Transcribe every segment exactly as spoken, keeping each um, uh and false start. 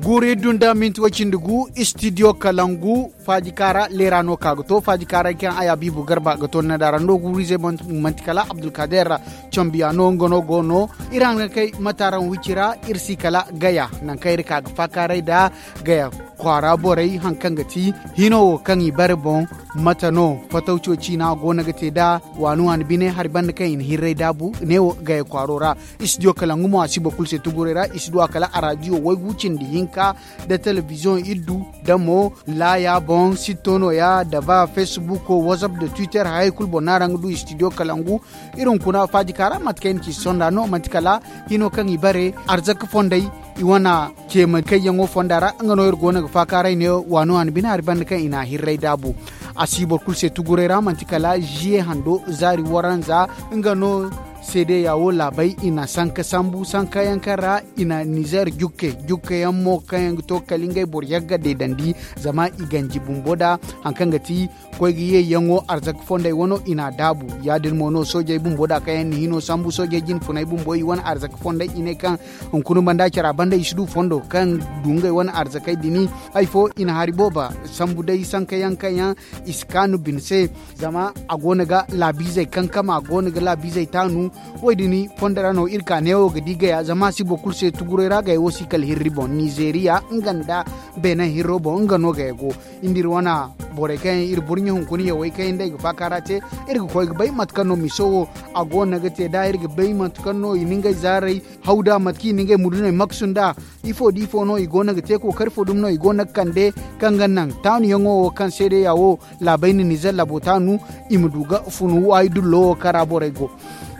Kuuri dunda minti way cindi gu istidiyo kalangu. Faaji kaara leera no ka ga to faaji kaaray kaŋ a ya biibu garba ga to ni na daara no guuru-izey. Manti kala abdulkadeer cambiya no nga no go no. Iri haŋ ga kay mate araŋ wicci ra iri si kala gaya nangu kaŋ iri ka ga faakaaray nda gaya kwaara borey haŋ kaŋ ga ti hino wo kaŋ i bare boŋ. Mate no fatawco ciina go no ga te nd'a waani waani bine hari banda kaŋ i na hirray daabu neewo gaya kwaaro ra. Istidiyo kalangu mo a si boro kulu se tuguray ra i si du a kala araadiyo waygu cindi hinka nda telebiziyoŋ iri du nda mo laaya boŋ sitto nooya nda ba facebook whatsapp nda twitter hayey kulu boŋ no araŋ ga du istidiyo kalangu. Iri hunkuna faaji kaara mate kaŋ i na ci sonda no manti kala hino kaŋ i bare arzaka fondey i wane ceema kayyaŋo fonda ra nga no iri go no ga faakaaray ne waani waani bine hari banda kaŋ i na a hirray daabu. A si boro kulu se tuguray ra manti kala ziye hando zaari waranza nga no seedeya wo laabey i na sanka sambu sankayaŋ kaŋ ra i na nizeer jukke jukkeyaŋ mo kaŋ yaŋ ga to kala ngey boro yagga deedandi zama i ganji bumbo nd'a haŋ kaŋ ga ti koy ga ye yaŋo arzaka fondey wano i n'a daabu. Ya-din mo no soojey bumbo da kaŋ yaŋ na hino sambu soojey jine funey bumbo i wane arzaka fondey i ne kaŋ hunkuna banda care a banda i si du fondo kaŋ du ngey wane arzakey din. Hari fo i na hari booba sambu day sankayaŋ kaŋ yaŋ i si kaanu bine se. Zama a go no ga laabiizey kankama a go no ga laabiizey taanu. Wo- din fondo ra no iri ka neewo ga di gaya zama a si boro kulu se tuguray ra gaya wo si kala hirri boŋ nizeeriya nga nda beenaŋ hirro boŋ nga no gaya go. Nda iri wane borey kaŋ yaŋ iri burɲe hunkuna yawey kaŋ yaŋ day ga faakaara te iri ga koy ga bay mate kaŋ no miso wo a go no ga te nd'a iri ga bay mate kaŋ no i na ngey zaaray haw nd'a mate kaŋ i na ngey muduney maksu nd'a. Ifo da ifo no i go no ga te kookari fo dumi no i go no ga kande kaŋ ga naŋ taanuyaŋo wo kaŋ seedeya wo laabey na nizer labo taanu i ma du ga funu waayi dullo wo kaŋ ra borey go.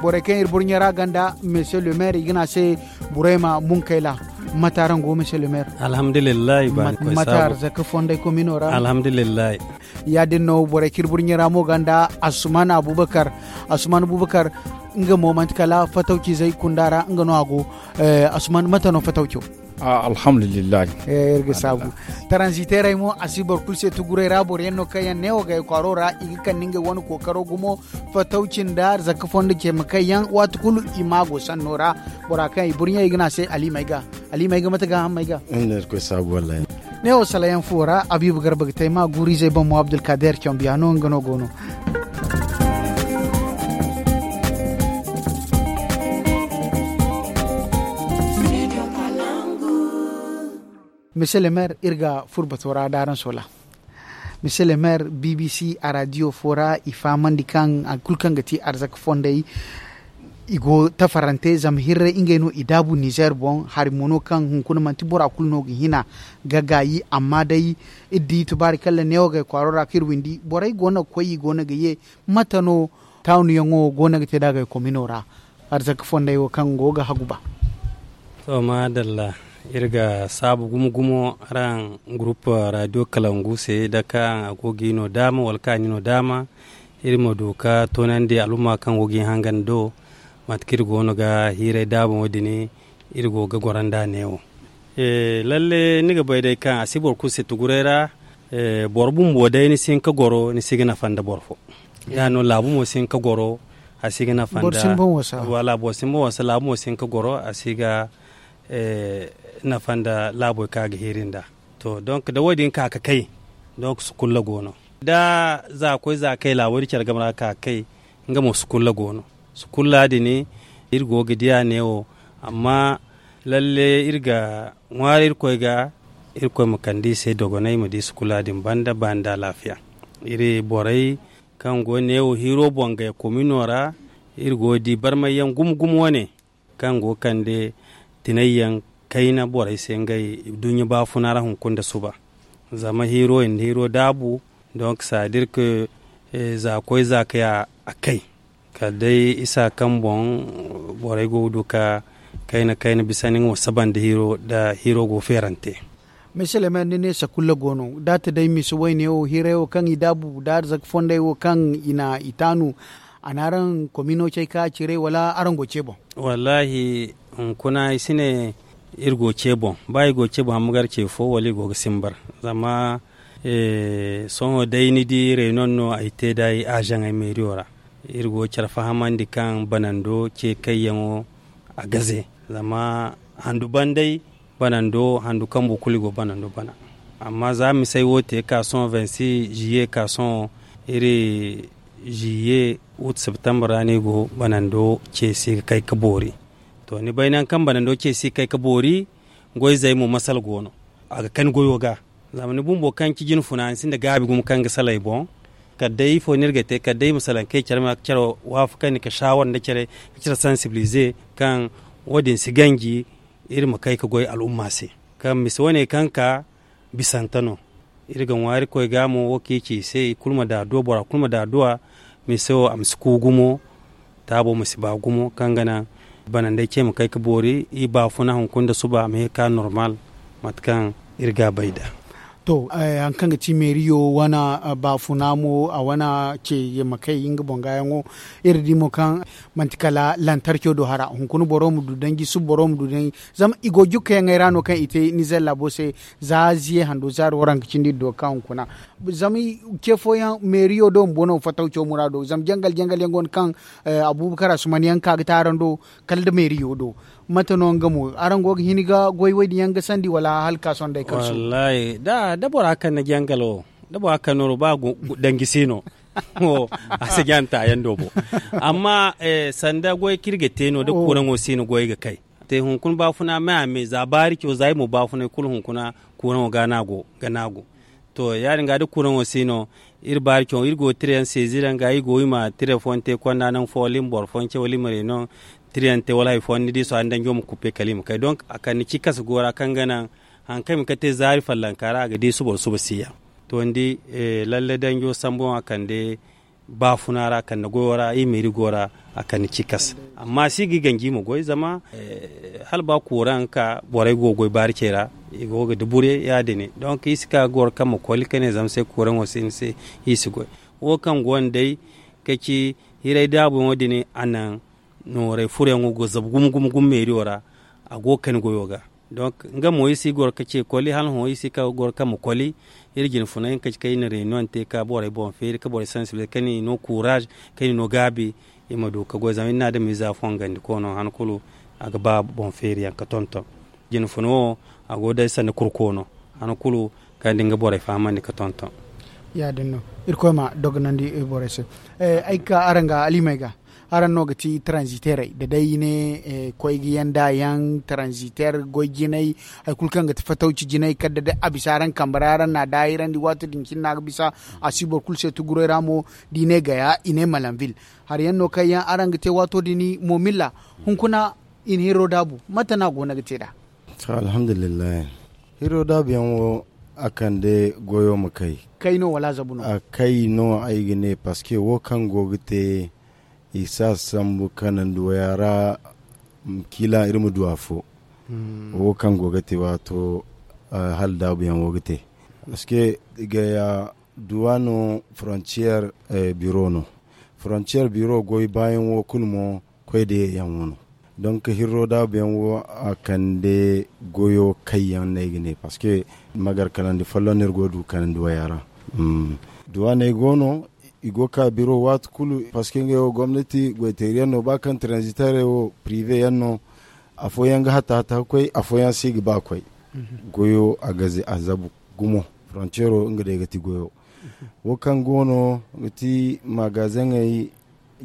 Borey kaŋ iri burɲe ra ganda monsieur le maire i ga ne a se burayma munkayla. Mate araŋ go monsieur le maire? Alhamdulillahi baani koy mate saabu arzaka fonday komino ra alhamdulillahi. Ya- din no borey kaŋ iri burɲe ra mo ganda asuman abubakar. Asuman abubakar nga mo manti kala fatawcizey kunda ra nga no a go. Asuman mate no fatawco? Alhamdulillahi. Iri ga saabu taranziteerey mo a si boro kulu se tuguray ra boro yaŋ no kaŋ yaŋ neewo gay kwaaro ra i ga kande ngey wane kookaro gumo fatawci nda arzaka fondo ceema kaŋ yaŋ waati kulu i ma go sanno ra. Bora kaŋ i burɲey i ga ne a se ali may ga. Ali may ga mate gaahammey ga. Neewo salayaŋ fuwo ra abiibu garba ga te ay ma guuru-izey boŋ mo abdulkadeer cambiya no nga no go no. Monsieur le maire iri ga furo bato ra da araŋ soola. Monsieur le maire bbc araadiyo fo ra i fahamandi kaŋ hari kulu kaŋ ga ti arzaka fondey i go tafarante zama hirray ngey no i daabu nizeer boŋ hari mo no kaŋ hunkuna manti bora kulu no ga hina ga gaayi amma day iri di tubaari kaŋ ra neewo gay kwaaro ra kaŋ iri windi borey go no ga koy i go no ga ye. Mate no taanuyaŋo go no ga te nd'a gay komino ra? Arzaka fondey wo kaŋ go ga hagu ba. To maadalla, iri ga saabu gumo gumo araŋ gurup raadiyo kalangu se da kaŋ a go ga i no daama wala kaŋ a ni no daama iri ma du ka toonandi alumma kaŋ go ga i hangan do. Mate kaŋ iri go no ga hiiray daabaŋo din iri go ga goro nd'a neewo. Lalle ni ga bay day kaŋ a si boro kulu se tuguray ra. Boro bumbo day ni si hin ka goro ni si ga nafa nda boro fo. Ya- din no laabu mo si hin ka goro a si ga nafa nda wala boro si hin ba wasa laabu mo si hin ka goro a si ga nafa nda laabo kaŋ a ga hiiri nd'a. To donk da wo- din ka ga kay donk sukulla go no. Da za koy za kay laabo din care game ra ka ga kay nga mo sukulla go no. Sukulla din iri go ga diya neewo. Amma lalle iri ga ŋwaari irkoy ga irkoy ma kande i se dogonay ma di sukulla din banda ba nda alaafiya. Iri borey kaŋ go neewo hiiro boŋ gay komino ra iri go ga di barmayyaŋ gumo gumo wane kaŋ go ga kande tinayyaŋ kayna borey se ngey duɲɲa baafuna ra hunkuna nda suba. Zama hiiro i na hiiro daabu donk saadirka za koy za kay a kay. Kala day isa kaŋ boŋ borey go ga du ka kayna kayna bisa ni nga ma saba nda hiiro da hiiro go feerante. Maiselemay ni ne sakulla go no da a ta day misa wayne wo hiiray wo kaŋ i daabu da arzaka fondey wo kaŋ i na i taanu. A na araŋ komino cay ka ciray wala araŋ go ce boŋ? Wallaahi, hunkuna ay si ne iri go ce boŋ ba i go ce boŋ hamma gar ce fo wala i go ga simbar. Zama sohõ day ni di reynon no ay te da ay azaŋey meeriyo ra. Iri go care fahamandi kaŋ banando ce kayyaŋo a gaze. Zama handu banday banando handu kambo kulu i go banando bana. Amma za misey wo te ka sohõ vingt-six juillet ka sohõ, iri juillet août septembre ra no i go banando ceesi ga kay ga boori. To ni bay nangu kaŋ banando ceesi ga kay ga boori, goyzey mo masala go no. A ga kani goyo ga. Zama ni bumbo kaŋ ci jine funa ni sinda gaabi gumo kaŋ ga salay boŋ. Kala day ifo no iri ga te kala day i ma salaŋ kay care ma care waafakandi ka saawara nda care, ka care sensibilize kaŋ wo- din si ganji. Iri ma kay ga goy al'umma se kaŋ mise wane kaŋ ka bisante no. Iri ga ŋwaari koy ga mo wo kaŋ i ci i se i kulu ma da adduwa bora kulu ma da adduwa. Mise wo a ma si ku gumo. Taabo ma si ba gumo kaŋ ga naŋ banandey ce ma kay ga boori i baafuna hunkuna nda suba a ma ye ga ka normal. Mate kaŋ iri ga a bay nd'a. To, hari kaŋ ga ti meeriyo wane baafuna mo a wane ce ye ma kay nga boŋ gaayaŋo. Iri di mo kaŋ manti kala lantarco do hara hunkuna boro ma du danji suba boro ma du danji. Zama i go jukkayaŋey ra no kaŋ i te nizer laabo se. Za ziye hando zaari waranka cindi iri do ga ka hunkuna. Zama ce fooyaŋ meeriyo do bumbo no fatawco muraado zama jangal jangal yaŋ go no kaŋ abubakar asuman yaŋ ka ga te araŋ do kala nda meeriyo do. Mate no nga mo araŋ go ga hin ga goy wo- din yaŋ ga sandi wala hala ga ka sohõ day kaŋ su? Wallaahi da bora kaŋ na jangal wo da bora kaŋ nooru ba danji si no. A si janta yaŋ do bo. Amma sanda goy kaŋ iri ga te no da kuuraŋo si no goy ga kay. Te hunkuna baafuna me a me za baari caw za iri mo baafunay kulu hunkuna kuuraŋo ga no a go ga no a go. To ya- din ga da kuuraŋo si no iri baari caw iri go ga tira yaŋ seezi ra nga iri go iri ma tira fooyaŋ te konda nangu fo wala iri ma boro fooyaŋ ce wala iri ma reeno tira yaŋ te wala hari fooyaŋ ni di sohõ hari danjo ma kuppe kala iri ma kay donk a kande cikas go ra kaŋ ga naŋ hari kaŋ iri ma kate zaari fallanka ra a ga di suba suba si yaŋ. To ni di lalle danjo sambu yaŋ a kande baafuna ra kande goyo ra iri meeri go ra. A kande cikas amma si ga i ganji i ma goy zama hala ba kuuraŋ ka borey go ga goy baari cey ra i go ga dubure ya- din donk iri si ka ga goro kaŋ ma koli ka ne zama se kuuraŋo si ni se. Iri si goy wo kaŋ go no day ka ci hiray daabuyaŋo din a naŋ nooray furoyaŋo go zabu gumo gumo gumo meeriyo ra. A go ga kani goyo ga donk nga mo iri si goro ga ce koli hala hõ iri si ka goro kaŋ ma koli. Iri jine funa hinka ci kaŋ iri na reunion te ka borey boŋ feeri ka borey sensibilize kaŋ iri no kuuraaz kaŋ iri no gaabi. Iri ma du ka goy zama iri na adamiiza fongandi koono han kulu a ga ba boŋ feeri yaŋ ga tonton. Jine funa wo a go day sanda kurkoono han kulu kaŋ da nga borey fahamandi ga tonton. Ya- din no. Irkoy ma dogonandi borey se. Ay ga ka araŋ ga alimey ga araŋ no ga ti taranziterey da day i ne koy ga yanda yaŋ taranziter goy jinay. Hari kulu kaŋ ga ti fatawci jinay kala da day a bisa araŋ kambe ra araŋ na a daahirandi waato din cine no a ga bisa. A si boro kulu se tuguray ra mo da i ne gaya i ne malanvil. Hari yaŋ no kaŋ yaŋ araŋ ga te waato din momilla hunkuna i na hiro daabu mate no a go no ga te nd'a? Alhamdulillahi. Hiro daabu yaŋ wo a kande goyo ma kay. Kay no wala zabu no a kay no ay ga ne parceque wo kaŋ go ga te i si a sambu kanandi waya ra. Kiila iri ma du afo wo kaŋ go ga te waato hala daabu yaŋ wo ga te. Parceque gaya duwa no frontier biro no. Frontier biro goy baayaŋ wo kulu mo koy da ye yaŋ wo no. Donk hirro daabu yaŋ wo a kande goyo kayyaŋ no ay ga ne parceque magar kanandi folloŋ no iri go ga du kanandi waya ra. Duwaney go no i go ga ka biro waati kulu parceque ngey wo gomnati goyteeri yaŋ no ba kaŋ transitere wo prive yaŋ no. Afooyaŋ ga hatta hatta ga koy afooyaŋ si ga ba ga koy. Goyo a ga zabu gumo frontiero nga day ga ti goyo. Wo kaŋ go no ga ti magazeŋey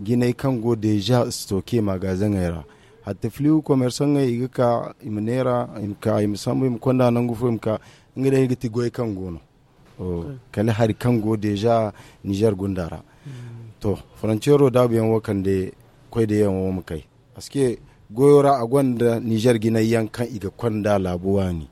jinay kaŋ go deja stoke magazeŋey ra. Hatta filiw komersaŋey i ga ka i ma neera i ma ka i ma sambu i ma konda nangu fo i ma ka. Nga day ga ti goy kaŋ go no kala hari kaŋ go deja nizer gunda ra. To frontiero daabu yaŋ wo kande koy da yaŋ wo ma kay. Parceque goyo ra a gonda nizer jinay yaŋ kaŋ i ga konda laabu waani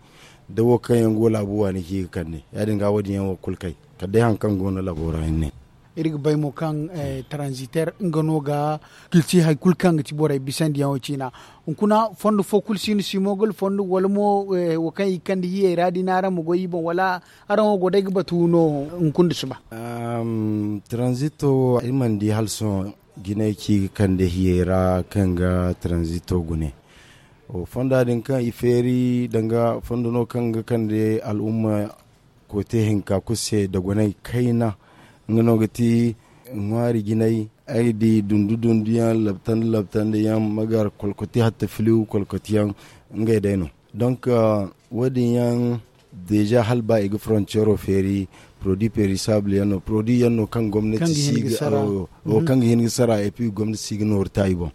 da wo kaŋ yaŋ go laabu waani kaŋ i ga kande ya- din ga wo- din yaŋ wo kulu kay kala day hari kaŋ go no laabo ra hinne. Iri ga bay mo kaŋ transiter nga no ga ga ti hari kulu kaŋ ga ti borey bisandiyaŋo ciina. Hunkuna fondo fo kulu si no simogol fondo wala mo wo kaŋ i ga kande hiyey ra din araŋ ma goy i boŋ wala araŋ wo go day ga batu no? Hunkuna nda suba. Transito wo ay mana di hala sohõ jinay kaŋ i ga kande hiyey ra kaŋ ga transito gune. Fonda din kaŋ i feeri danga fondo no kaŋ ga kande al'umma kote hinka kulu se dogonay kayna. Nga no ga ti ŋwaari jinay ay ga di dundu dundu yaŋ labtandi labtandi yaŋ magar kolkoti hatta filiw kolkoti yaŋ. Ngey day no. Donc, wo- din yaŋ deeza hala ba i ga frontiero feeri, produit perisable yaŋ no, produit yaŋ no kaŋ gomnati si ga hin ga sara et puis gomnati si ga nooru ta i boŋ.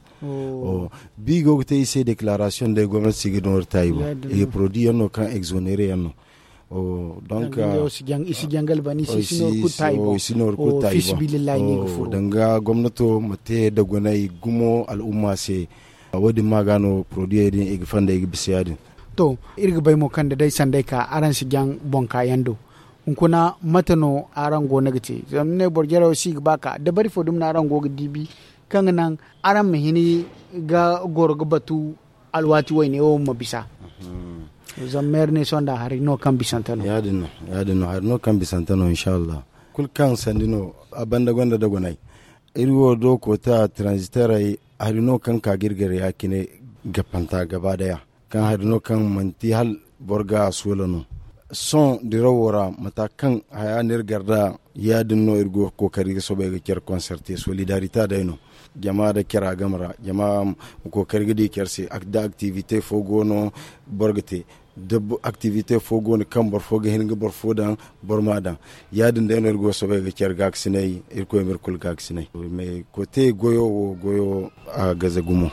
Bi go ga te i se declaration day gomnati si ga nooru ta i boŋ. Produit yaŋ no kaŋ exonere yaŋ no. Donc i si jangal ba ni se i si nooru kulu ta i boŋ. Danga gomnato ma te da gunay gumo al'umma se. Wo- din ma ga no produit din i ga fanda i ga bisa ya- din. To, iri ga bay mo kaŋ da day sanday ka araŋ si jaŋ boŋ ka yaŋ do. Hunkuna mate no araŋ go no ga te zama ni ne boro jaraw si ga ba ka dabari fo dumi no araŋ go ga diibi kaŋ ga naŋ araŋ ma hin ga goro ga batu alwaati wayne wo ma bisa. Zama meeri ne sonda hari no kaŋ bisante no. Ya- din no hari no kaŋ bisante no inshallah. Kulu kaŋ sandi no a banda gonda da gunay. Iri wo do koota transiterey hari no kaŋ ka ga iri gare ya- cine gapanta gaba daya. Kaŋ hari no kaŋ manti hala boro ga a soola no. Sohõ dirawo ra mata kaŋ haya no iri gar da ya- din no iri go ga kookari ga soobay ga care konserte solidarite day no. Jama da care a game ra jama ma kookari ga di care se da aktivite fo go no boro ga te. Da aktivite fo go no kaŋ boro fo ga hin ga boro fo daŋ boro ma a daŋ. Ya- din day no iri go ga soobay ga care gaakasinay. Irkoy ma iri kulu gaakasinay. Koote goyo wo goyo a gaze gumo.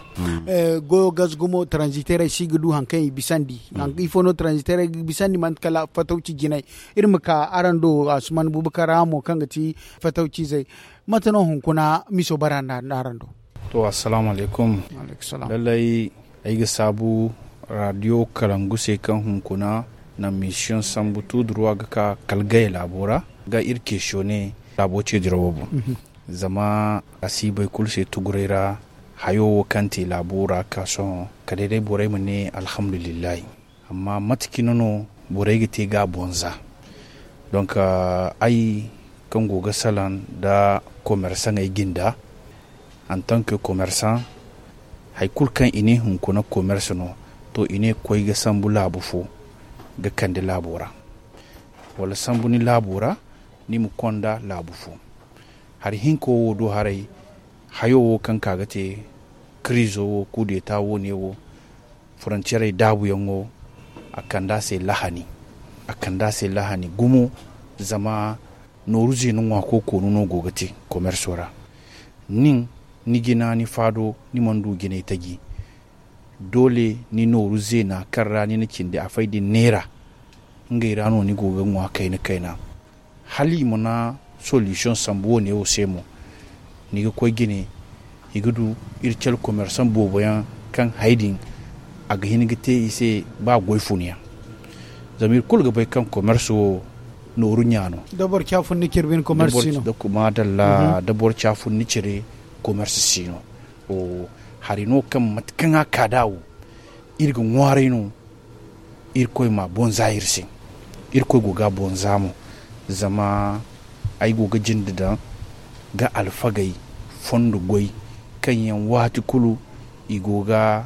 Goyo gaze gumo transiterey si ga du hari kaŋ i bisandi. Hari kaŋ ifo no transiterey ga bisandi manti kala fatawci jinay. Iri ma ka araŋ do asuman bubakar ra mo kaŋ ga ti fatawcizey. Mate no hunkuna miso bara nda araŋ do? To assalamu alaykum. Lallay ay ga saabu radio kalangu se kaŋ hunkuna na misiyoŋ sambu tuuduruwa ga ka kala gaya laabo ra ga iri keesiyo ne laabo ce dirawo boŋ. Zama a si bay kulu se tuguray ra hayo wo kaŋ te laabo ra ka sohõ kala day borey ma ne alhamdulillahi. Amma mate cine no borey ga te ga a bonza? Donk ay kaŋ go ga salaŋ nda komersaŋey jinda antanke komersaŋ, hari kulu kaŋ i ne hunkuna komersa no, to i ne koy ga sambu laabu fo ga kande laabo ra, wala sambu ni laabo ra ni ma konda laabu fo. Hari hinka wo do haray hayo wo kaŋ ka ga te kiriizo wo kuudeeta wo ne wo forontiyerey daabuyaŋo a kande a se lahani. A kande a se lahani gumo. Zama nooru zeena ŋwaako koonu no go ga te komerso ra. Nin ni jina ni faado ni mana du jinay taji. Doole ni nooru zeena kaŋ ra ni na cindi afay din neera ngey ra no ni go ga ŋwa kayna kayna. Hala i mana solisiyoŋ sambu wo- ne wo se mo ni ga koy jine i ga du iri care komersaŋ boobo yaŋ kaŋ hari din a ga hin ga te i se ba goy fun yaŋ. Zama iri kulu ga bay kaŋ komerso wo nooru ɲa no. Da boro caafunni cire bine komerso si no. Maadalla da boro caafunni cire komerso si no. Hari no kaŋ mate kaŋ a ka da wo iri ga ŋwaaray no. Irkoy ma a boŋ za iri se. Irkoy go ga a boŋ za mo. Zama ay go ga jinde daŋ ga alfagey fondo goy kaŋ yaŋ waati kulu i go ga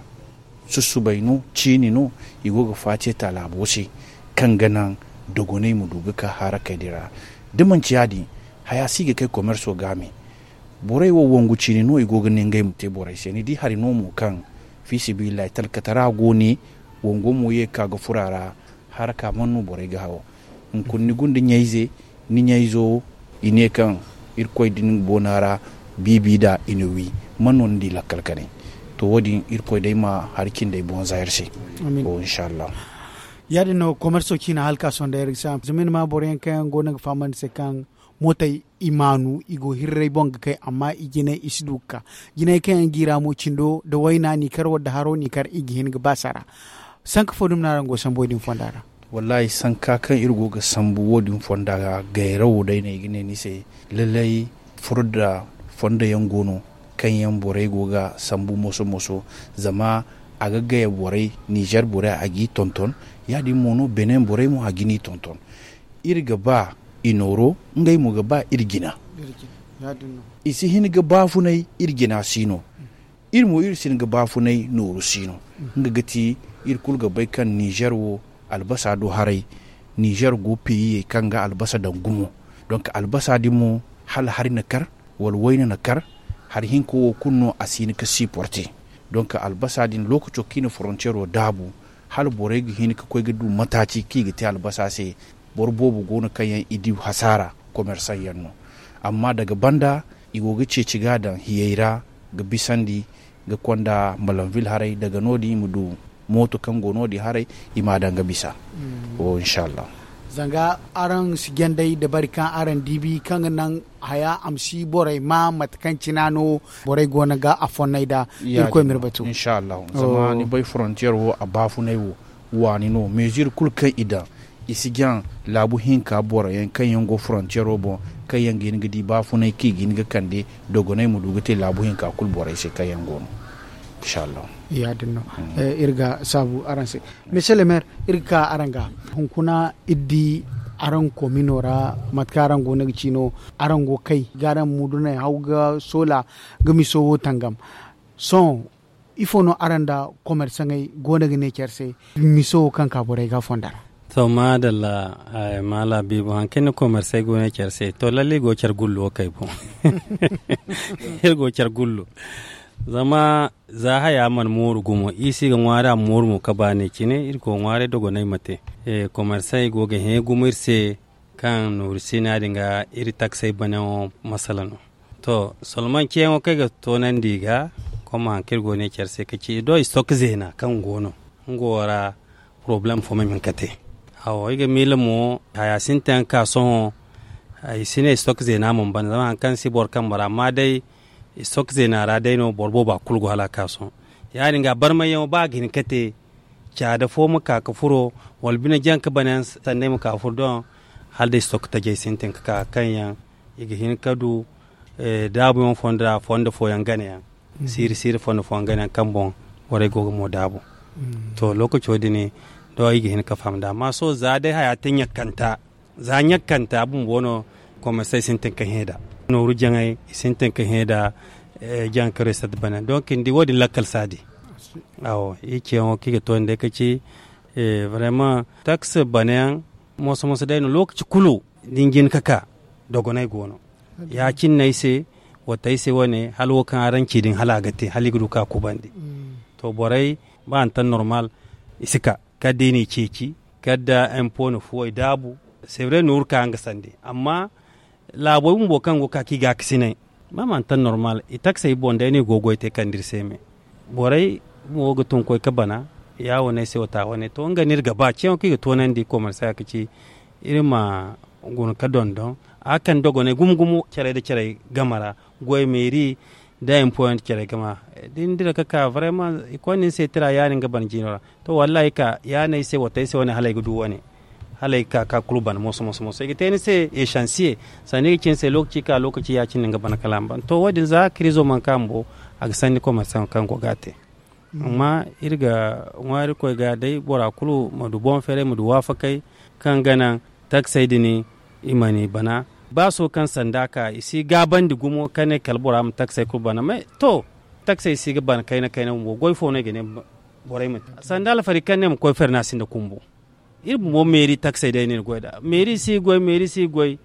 susubay no ciini no. I go ga faatiya ta laabo se kaŋ ga naŋ dogonay ma du ga ka harakey din ra. Da manci ya- din haya si ga kay komerso ga me. Borey wo wangu ciini no i go ga ne ngey ma te borey se ni di hari no mo kaŋ fiisabilillahi talkatara go ne. Wango mo ye ga ka ga furo a ra. Haraka man no borey ga hawo hunkuna ni gunda ɲayze ni ɲayzo i ne kaŋ irkoy din boona ra biibi da i na wi man no ni di lakkal kane. To wo- din irkoy day ma hari cindey boŋ za iri se. Inshallah. Ya- din no komerso ciina hala ka sonda iri ga se zama iri ma boro yaŋ kaŋ yaŋ go no ga fahamandi se kaŋ mootey i maanu i go hirray boŋ ga kay amma i jinay i si du ga ka. Jinay kaŋ yaŋ jiira mo cindo nda wayna n'i kar wala nda haro n'i kar i ga hin ga ba sara. Sanka fo dumi no araŋ go sambu wo- din fonda ra? Wallaahi sanka kaŋ iri go ga sambu wo- din fonda ra gayrawo day no ay ga ne ni se. Lallay furo nda fondo yaŋ go no kaŋ yaŋ borey go ga sambu moso moso. Zama a ga gaya borey nizer borey a g'i tonton. Ya- din mo no benin borey mo a ga ni tonton. Iri ga ba i nooro ngey mo ga ba iri jina. I si hin ga baafunay iri jina si no. Iri mo iri si hin ga baafunay nooru si no. Nga ga ti iri kulu ga bay kaŋ nizer wo albasa do haray. Nizer go peyiyey kaŋ ga albasa daŋ gumo. Donk albasa din mo hala hari na kar wala wayna na kar. Hari hinka wo kulu no a si hin ga siporte. Donk albasa din lookaco kaŋ i na forontiyero daabu Hala borey ga hin ga koy ga du mataaci kaŋ i ga te albasa se. Boro boobo go no kaŋ yaŋ i di hasaara, komersaŋ yaŋ no. Amma daga banda, i go ga ceeci ga a daŋ hiyey ra, ga bisandi, ga konda malanvil haray daga no- din i ma du mooto kaŋ go no- din haray, i ma a daŋ ga bisa. Inshallah. Zanga araŋ si jandey da bari kaŋ araŋ diibi kaŋ ga naŋ haya a ma si borey ma mate kaŋ cina no borey go no ga a fonnay da. Irkoy ma iri batu. Inshallah. Zama ni bay frontier wo a baafunay wo, waani no mesure kulu kaŋ i daŋ, i si jaŋ laabu hinka boro yaŋ kaŋ yaŋ go frontiero boŋ, kaŋ yaŋ ga hin ga di baafunay kaŋ i ga hin ga kande, dogonay ma du ga te laabu hinka kulu borey se kaŋ yaŋ go no. Inshallah. Ya- din no. Iri ga saabu araŋ se. Monsieur le maire, iri ga ka araŋ ga hunkuna iri di araŋ komino ra, mate kaŋ araŋ go no ga ci no, araŋ go kay ga araŋ mudunay haw ga soola ga miso wo tangam. Sohõ, ifo no araŋ nda komersaŋey go no ga ne care se, miso wo kaŋ ka borey ga fonda ra? To, maadalla. Maala biibo, hari kaŋ ni komersey go no care se, to, lalle i go care gullo wo kay boŋ. Iri go care gullo. Zama za haya mana mooru gumo, i si ga ŋwaari a ma mooru mo ka baanay cine, iri go ŋwaaray dogonay ma te. Komersey go ga hẽ gumo iri se, kaŋ nooru sina din ga iri taksey banayaŋo masala no. To, solman ceeyaŋo kaŋ ay ga toonandi i ga, koma hari kaŋ iri go ne care se ka ci i do i stok zeena kaŋ go no, nga wo ra poroblem fo ma hin ka te. Awo, ay ga miila mo, haya sintin ka sohõ, ay si ne stok zeena mana ban zama hari kaŋ si boro kambe ra amma day, stok zeena ra day no boro boobo a kulu go hala a ka sohõ. Ya- din ga barmayyaŋo ba a ga hin ka te, caada fo ma ka ga furo, wala bine jaŋ ka banayaŋ sanney ma ka ga furo doŋ. Hala day stok tajey sintin ka ka kaŋ yaŋ i ga hin ka du daabuyaŋ fondo ra fondo fooyaŋ ganayaŋ, siiri siiri fondo fooyaŋ ganayaŋ kaŋ boŋ borey go ga mo daabu. To, lookaco din do i ga hin ka faham nd'a amma sohõ za day haya te ɲakkanta, za ɲakkanta bumbo no, komersey sintin ka hẽ nd'a, nooru jaŋey i sintin ka hẽ nd'a. Jaŋ ka reset banayaŋ donk ni di wo- din lakkal si a di. Awo, i ceeyaŋo kaŋ i ga toonandi day ka ci, vraiment taks banayaŋ, moso moso day no lookaci kulu da ni jin ka ka, dogonay go no. Ya- cine no ay se, watta ay se wane hala wo kaŋ araŋ ci din hala a ga te hala i ga du ka kubandi. To, borey ba a na taŋ normal, i si ka kala da i n'i ceeci, kala da empo na fuwey daabu. Sevre nooru ka nga sande amma laabo bumbo kaŋ go ga ka kaŋ i gaakasinay, ba ma a na taŋ normal i taksey boŋ day no i go ga goy te kande iri se me. Borey mo ga tun ga koy ga bana, ya wane ay se wata wane to nga no iri ga ba ceeyaŋo kaŋ i ga toonandi komersa ka ci iri ma guna ga dondon a ga kande dogonay gumo gumo carey nda carey game ra, goy meeri nda empo yaŋ nda carey game ra. Da ni dira ga ka vraiment i koy no ni se tira ya- din ga bana jiino ra. To, wallahi ay ka ya- din ay se watta ay se wane hala ay ga du wane, hala ay ga ka ga kulu bana moso moso moso i ga te ni se esansiye, sanda i ga ci ni se lookaci ka lookaci ya- cine no ni ga bana kala a ma bana to wo- din za kirizo mana ka bumbo, a ga sanni komersaŋo kaŋ go ga a te. Amma iri ga ŋwaari koy ga day bora kulu ma du boŋ feeray ma du waafakay, kaŋ ga naŋ taksey din i ma ni bana. Ba sohõ kaŋ sanda ka i si gaabandi gumo ka ne kala bora ma taksey kulu bana mais to, taksey si ga bana kayna kayna bumbo goy fo no i ga ne borey ma te sanda alfari kaŋ ne ma koy feeri no a sinda kumbu. Iri bumbo meeri taksey day no iri goy nd'a, meeri si goy meeri si goy.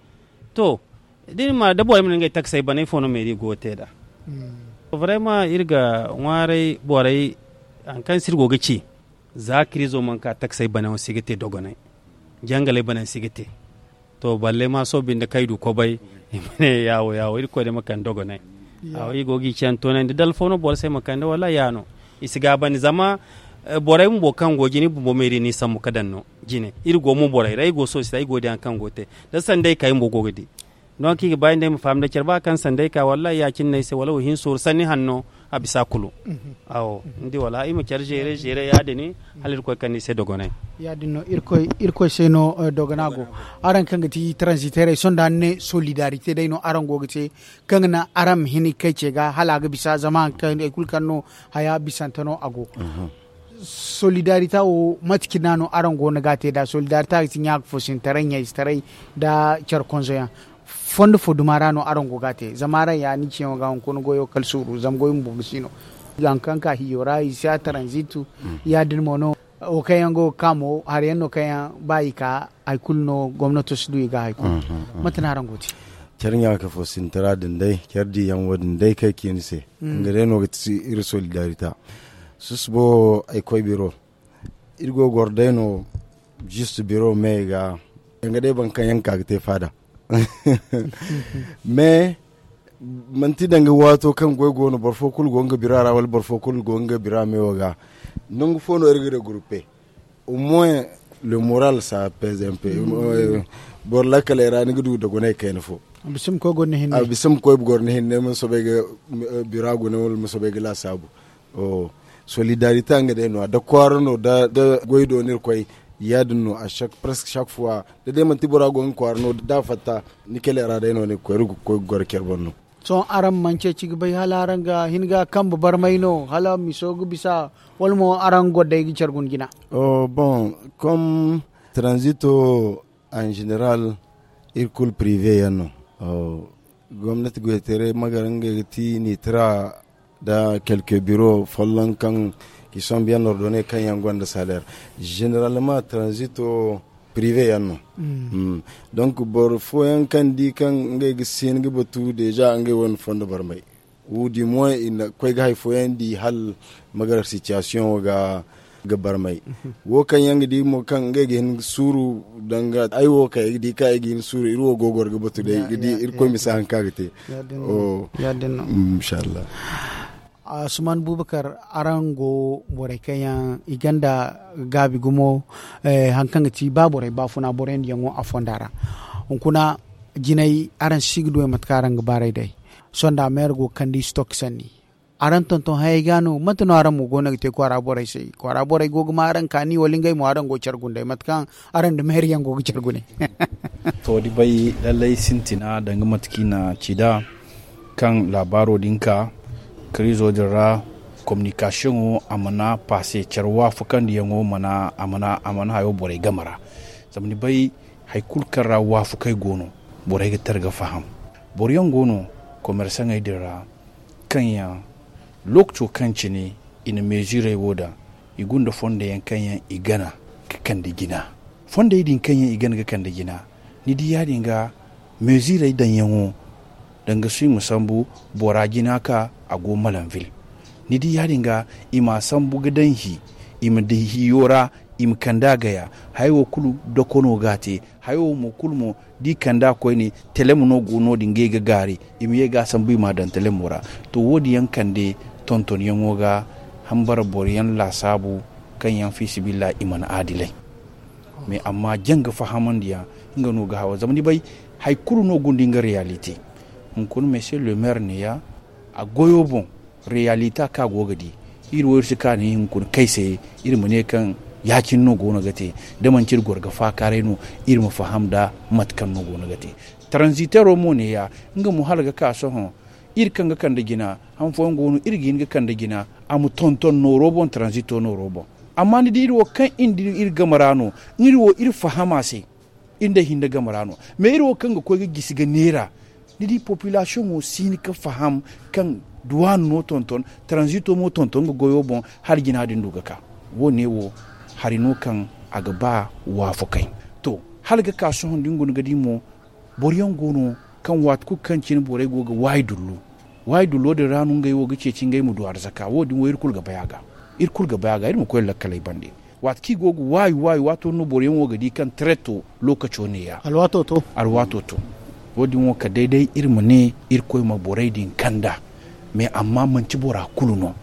To, da ni ma da borey ma ne ngey taksey bana ifo no meeri go ga te nd'a? Vraiment iri ga ŋwaaray borey hari kaŋ se iri go ga ci, za kirizo mana ka taksey banayaŋo si ga te dogonay, jangaley banayaŋ si ga te. To, balle ma sohõ binde kaŋ ay du kobay, i ma ne yaawo yaawo irkoy day ma kande dogonay. Awo i go ga i ce yaŋ toonandi da alfo no boro se ma kande wala ya no. I si gaabandi zama borey bumbo kaŋ go jine i bumbo meeri no i sambu ga daŋ no. Jine iri go mo borey ra ay go sohõ si ta ay go ga di hari kaŋ go ga te, da sanday ka ay bumbo go ga di. Donk i ga ba ay nda ay ma faham nda care ba kaŋ sanday ka wallaahi ya- cine no ay se wala wo hin sooru sanni hanno. A bisa kulu. Awo, ni di wala i ma care zeere zeere ya- din hala irkoy kande i se dogonay. Ya- din no irkoy se no. Dogona go araŋ kaŋ ga ti transiterey sohõ da ni ne solidarite day no araŋ go ga te, kaŋ ga naŋ araŋ ma hin ga kay ce ga hala a ga bisa zama hari kaŋ hari kulu kaŋ no haya bisante no a go. Solidarita wo mate cine no araŋ go no ga a te nd'a solidarita ga ti ɲaaka foosintaray ɲayzetaray nda care konzoyaŋ. Fondo fo duma ra no araŋ go ga a te zama araŋ ya ni ciyaŋo ga hunkuna goyo kala suuru zama goy bumbo ga si no. Hari kaŋ ka hiyo ra i si a taranzitu. Ya- din mo no wo kaŋ yaŋ go ga ka mo hari yaŋ no kaŋ yaŋ ba i ka hari kulu no gomnato si du i ga hari kulu. Mate no araŋ go ga te? Care ɲaaka foosintaray din day care diyaŋ wo- din day kaŋ ay ci ni se, nga day no ga ti iri solidarita. Susubo ay koy biro. Iri go ga goro day no. Juste biro me ga danga day boro kaŋ yaŋ ga ka ga te faada. Mais manti danga waato kaŋ goy go no boro fo kulu go nga bira ra wala boro fo kulu go nga bira me wo ga. Nangu fo no iri ga regroupe au moins le moral sa peze un peu. Boro lakkaley ra ni ga du da gunay kayna fo. A bisa ma koy goro ni hinne ma soobay ga bira gune wala ma soobay ga laasaabu. Solidarité nga day no a da kwaara no da goy do no iri koy. Ya- din no a chaque presque chaque fois da day manti bora go nga kwaara no da a fatta ni kele ra day no ni ga koy iri ga koy ga goro care boŋ no. Sohõ araŋ mana ceeci ga bay hala araŋ ga hin ga kambe barmay no hala miso ga bisa wala mo araŋ goro day ga care guna jina? Bon, comme transito en général iri kulu prive yaŋ no. Gomnati goytaray magara ngey ga ti nitra da quelque biro folloŋ kaŋ ki sombu yaŋ nordone kaŋ yaŋ gonda salaire. Généralement transito prive yaŋ no. Donc boro fooyaŋ kaŋ di kaŋ ngey ga si hin ga batu deja ngey wane fondo barmay. Wu di mo i na koy ga hari fooyaŋ di hala magara situation wo ga barmay. Wo kaŋ yaŋ ga di mo kaŋ ngey ga hin ga suuru danga ay wo kaŋ ay ga di kaŋ ay ga hin suuru iri wo go goro ga batu day ga di irkoy ma si hari kaŋ a ga te. Inshallah. Asuman bubakar, araŋ go borey kaŋ yaŋ i ganda gaabi gumo, hari kaŋ ga ti ba borey baafuna boro yaŋ diyaŋo a fonda ra. Hunkuna jinay araŋ si ga duwey mate kaŋ araŋ ga baaray day. Sonda meera go ga kande i si to ga sanni. Araŋ tonton hayey ga no mate no araŋ mo go no ga te kwaara borey se? Kwaara borey go ga ma araŋ kaani wala ngey mo araŋ go ga care gundey mate kaŋ araŋ nda meera yaŋ go ga care gune? To da bay lallay sintina danga mate kaŋ i na ci nd'a kaŋ laabaaro din ka karizo din ra. Kominikasiyoŋo a mana paase care waafakandiyaŋo a mana hayo borey game ra. Zama ni bay hari kulu kaŋ ra waafakey go no borey ga tara ga faham. Boro yaŋ go no komersaŋey din ra kaŋ yaŋ lookaco kaŋ cine i na meezirey wo daŋ i gunda fondo yaŋ kaŋ yaŋ i gana ga kande jina. Fondey din kaŋ yaŋ i gana ga kande jina ni di ya- din ga meezirey daŋyaŋo danga suy ma sambu bora jina ka a go malanvil. Ni di ya- din ga i m'a sambu ga daŋ hi i ma daŋ hiyo ra i ma kande a gaya. Haya wo kulu doko no ga a te. Haya wo mo kulu mo da i kande a koyne telem no go no- din ga ay ga gaari i ma ye ga a sambu i m'a daŋ telemo ra. To wo- din yaŋ kande tontonyaŋo ga hambara boro yaŋ laasaabu kaŋ yaŋ fiisabilillahi i mana aadilay. Mais amma janga fahamandiyaŋ nga no ga hawa zama ni bay hari kulu no gunda nga reyalite. Hunkuna monsieur le maire neeya a goyo boŋ reyalita kaŋ a go ga di iri wo iri si kaani hunkuna kay se iri ma ne kaŋ ya- cine no go no ga te. Da manti iri goro ga faakaaray no iri ma faham nda mate kaŋ no go no ga te. Transitero mo neeya nga mo hala ga ka sohõ iri kaŋ ga kande jina han fooyaŋ go no iri ga hin ga kande jina a ma tonton nooro boŋ transito nooro boŋ. Amma ni di iri wo kaŋ iri game ra no iri wo iri faham a se. Iri nda ay hinne game ra no mais iri wo kaŋ ga koy ga gisi ga neera ni di popilasiyoŋo si hin ga faham kaŋ duwaan no tonton transito mo tonton nga goyo boŋ hala jina din du ga ka. Wo- ne wo hari no kaŋ a ga ba waafakay. To hala ga ka sohõ da ni guna ga di mo boro yaŋ go no kaŋ waati kulu kaŋ cine borey go ga waayi dullu waayi dullo din ra no ngey wo ga ceeci ngey ma du arzaka wo- din wo iri kulu ga bay a ga. Iri kulu ga bay a ga iri ma koy lakkaley bande waati kaŋ i go ga waayi waayi waato no boro yaŋ wo ga di kaŋ tareto lookaco neeya. Alwaato to wo- din wo kala day day iri ma ne irkoy ma borey din kand'a. Mais amma manti bora kulu no.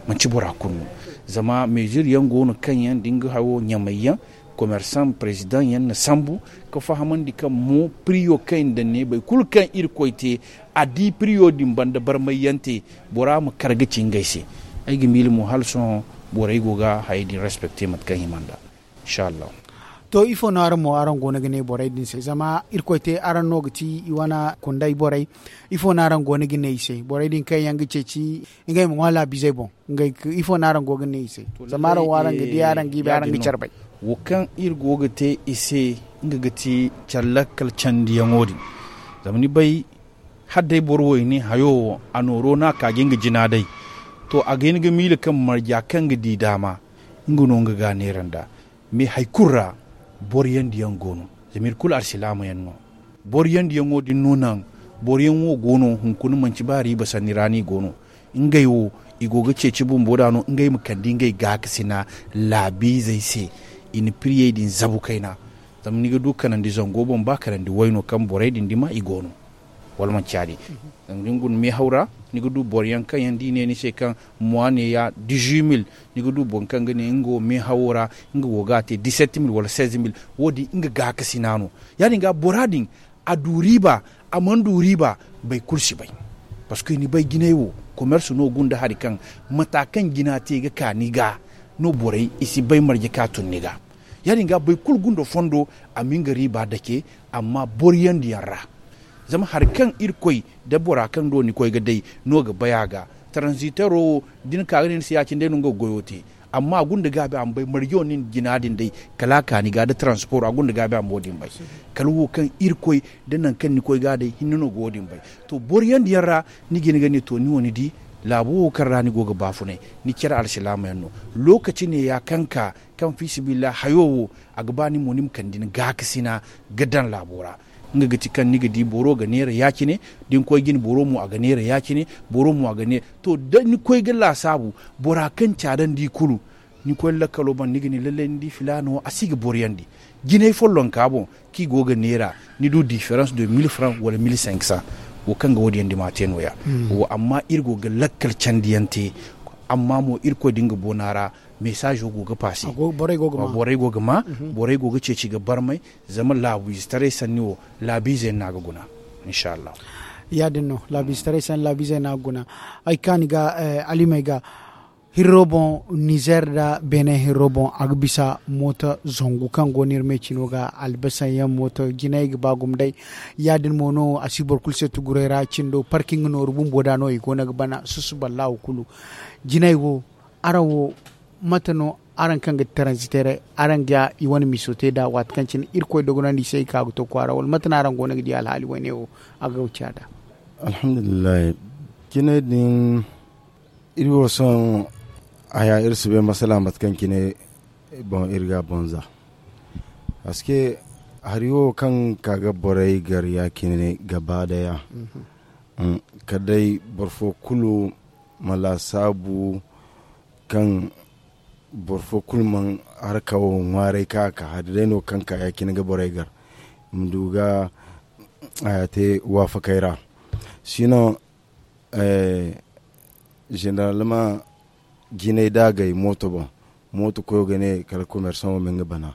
Manti bora kulu no. Zama meezir yaŋ go no kaŋ yaŋ da ni ga hayo ɲamay yaŋ komersaŋ perezidaŋ yaŋ na sambu ga fahamandi kaŋ mo piriyo kaŋ i na daŋ ne boro kulu kaŋ irkoy te a di piriyo din banda barmay yaŋ te. Bora ma kar ga ci ngey se. Ay ga miila mo hala sohõ borey go ga hayey din respekte mate kaŋ hima nd'a. Inshallahu. To ifo no araŋ mo araŋ go no ga ne borey din se zama irkoy te araŋ no ga ti i wane kunday borey? Ifo no araŋ go no ga ne i se borey din kaŋ yaŋ ga ceeci ngey ma ŋwa laabizey boŋ? Ifo no araŋ go ga ne i se zama araŋ wo araŋ ga di araŋ ga i bay araŋ ga care bay. Wo kaŋ iri go ga te i se nga ga ti care lakkal candiyaŋo din. Zama ni bay hala day boro wo i ne hayo wo a nooro no a ka ga nga jina day. To a ga hin ga miila kaŋ marja kaŋ ga di daama nga no nga ga a neera nd'a. Mais hari kulu ra boro yaŋ diyaŋ go no zama iri kulu alsilaama yaŋ no. Boro yaŋ diyaŋo din no naŋ boro yaŋ wo go no hunkuna manti ba riiba sanni ra no i go no. Ngey wo I go ga ceeci bumbo da no ngey ma kande ngey gaakasina laabiizey se. I na piriyey din zabu kayna. Zama ni ga du kanandi zango boŋ ba kanandi wayno kaŋ borey din dima i go no. Wala manci ya- din? Zama da ni guna meehaw ra, ni ga du boro yaŋ kaŋ yaŋ da i ne ni se kaŋ mois ne ya dizuit mil. Ni ga du boro kaŋ ga ne nga wo meehawo ra, nga go ga a te disept mil wala seize mil. Wo- din nga gaakasina no. Ya- din ga bora din, a du riiba, a mana du riiba, boro kulu si bay. Parceque ni bay jinay wo, komersi no gunda hari kaŋ, mata kaŋ jina te ga ka ni ga, no borey i si bay marje ka tun ni ga. Ya- din ga boro kulu gunda fondo, a ma nga riiba dake, amma boro yandi yaŋ ra. Zama hari kaŋ irkoy da bora kaŋ do ni koy ga day, no ga bay a ga. Transitero wo, da ni ka ga ne ni se ya- cine day no nga ga goyo te. Amma a gunda gaabi a ma bay marje wo nin jina din day, kala a ka ni ga da transporo a gunda gaabi a ma wo- din bay. Kala wo kaŋ irkoy da nangu kaŋ ni koy ga day hinne no ga wo- din bay. To, boro yandi yaŋ ra, ni ga hin ga ne to ni wo ni di, laabo wo kaŋ ra ni go ga baafunay, ni care alsilaama yaŋ no. Lookaci ne ya kaŋ ka, kaŋ fiisabilillahi hayo wo, a ga ba ni mo ni ma kande ni gaakasina ga daŋ laabo ra. Nga ga ti kaŋ ni ga di boro ga neera ya- cine, da ni koy jine boro mo a ga neera ya- cine, boro mo a ga neera. To, da ni koy ga laasaabu, bora kaŋ caadandi kulu, ni koy lakkalo ban ni ga ne lallay ni di filaana wo a si ga boro yandi. Jinay follonka boŋ, kaŋ i go ga neera, ni du diferans de mil franc wala mil cinq cents. Wo kaŋ ga wo- din yandi ma a te no- ya. Wo amma iri go ga lakkal candiyaŋ te. Amma mo irkoy da nga boona ra, mesazo go ga paase. Borey go ga ma, borey go ga ceeci ga barmay. Zama laabu izetaray sanni wo, laabu ize yaŋ no a ga guna. Inshallah. Ya- din no, laabu izetaray sanni laabu ize yaŋ no a ga guna. Ay kaani ga, alimey ga, hirro boŋ, nizer nda beene hirro boŋ a ga bisa mooto zangu kaŋ go no iri me cino ga, albasan yaŋ mooto jinay ga ba gumo day. Ya- din mo no a si boro kulu se tuguray ra cindo parking nooru bumbo da no i go no ga bana susu ballaahu kulu. Jinay wo, araŋ wo, mate no araŋ kaŋ ga ti taranziteeray, araŋ ga i wane miso te nd'a waati kaŋ cine irkoy dogonandi i se i ka ga to kwaara wala mate no araŋ go no ga di alhaali wayne wo? A ga wuce a da. Alhamdulillahi, cine din iri wo sohõ haya iri si bay masala mate kaŋ cine boŋ iri ga bonza. Paske hari wo kaŋ ka ga borey gar ya cine gaba daya, kala day boro fo kulu ma laasaabu kaŋ boro fo kulu mana haraka wo ŋwaaray ka ka hari day no kaŋ ka ya cine ga borey gar i ma du ga haya te waafakey ra. Sinon, generalman, jinay da a gay mooto boŋ, mooto koyo ga ne kala komersaŋo ma nga bana.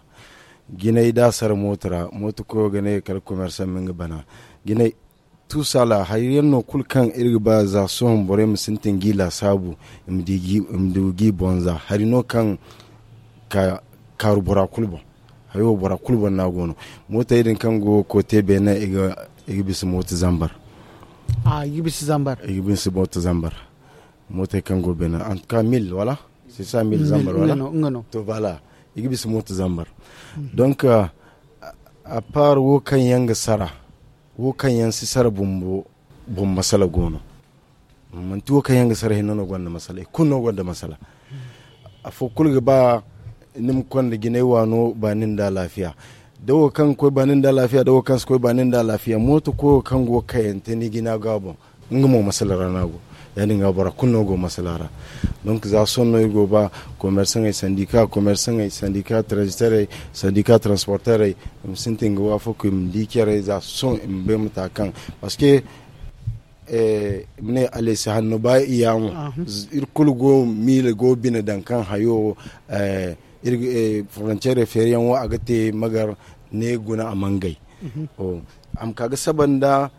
Jinay da a sara mooto ra, mooto koyo ga ne kala komersaŋ ma nga bana. Jinay, tuusala hari yaŋ no kulu kaŋ iri ga ba za sohõ borey ma sintin g'i laasaabu, i ma du g'i bonza hari no kaŋ ka kaaru bora kulu boŋ. Hayo bora kulu boŋ no a go no. Mootey din kaŋ go koote beene, i ga bisa mooto zambar. I ga bisa mooto zambar. Mootey kaŋ go beene, antuka mil wala sisa mil zambar wala? To, bala, i ga bisa mooto zambar. Donk, a paar wo kaŋ yaŋ ga sara, wo kaŋ yaŋ si sara bumbo, boŋ masala go no. Manti wo kaŋ yaŋ ga sara hinne no gonda masala, i kulu no gonda masala. Afo kulu ga ba ni ma konda jinay waano baani nda alaafiya. Da wo kaŋ ga koy baani nda alaafiya, da wo kaŋ si koy baani nda alaafiya, mooto koyo kaŋ go ga kayante ni jina ga boŋ, nga mo masala ra no a go. Ya- din ga bora kulu no go masala ra. Donk za sohõ no iri go ba, komersaŋey, sandika komersaŋey, sandika transiterey, sandika transporterey, i ma sintin ga waafaku i ma di care za sohõ i ma bay mata kaŋ, paske i ma ne alesi hanno ba i yaamo. Iri kulu go miila go bine daŋ kaŋ hayo, frontiere feeriyaŋo a ga te magar ne guna a mangay. A ma ka ga saba nda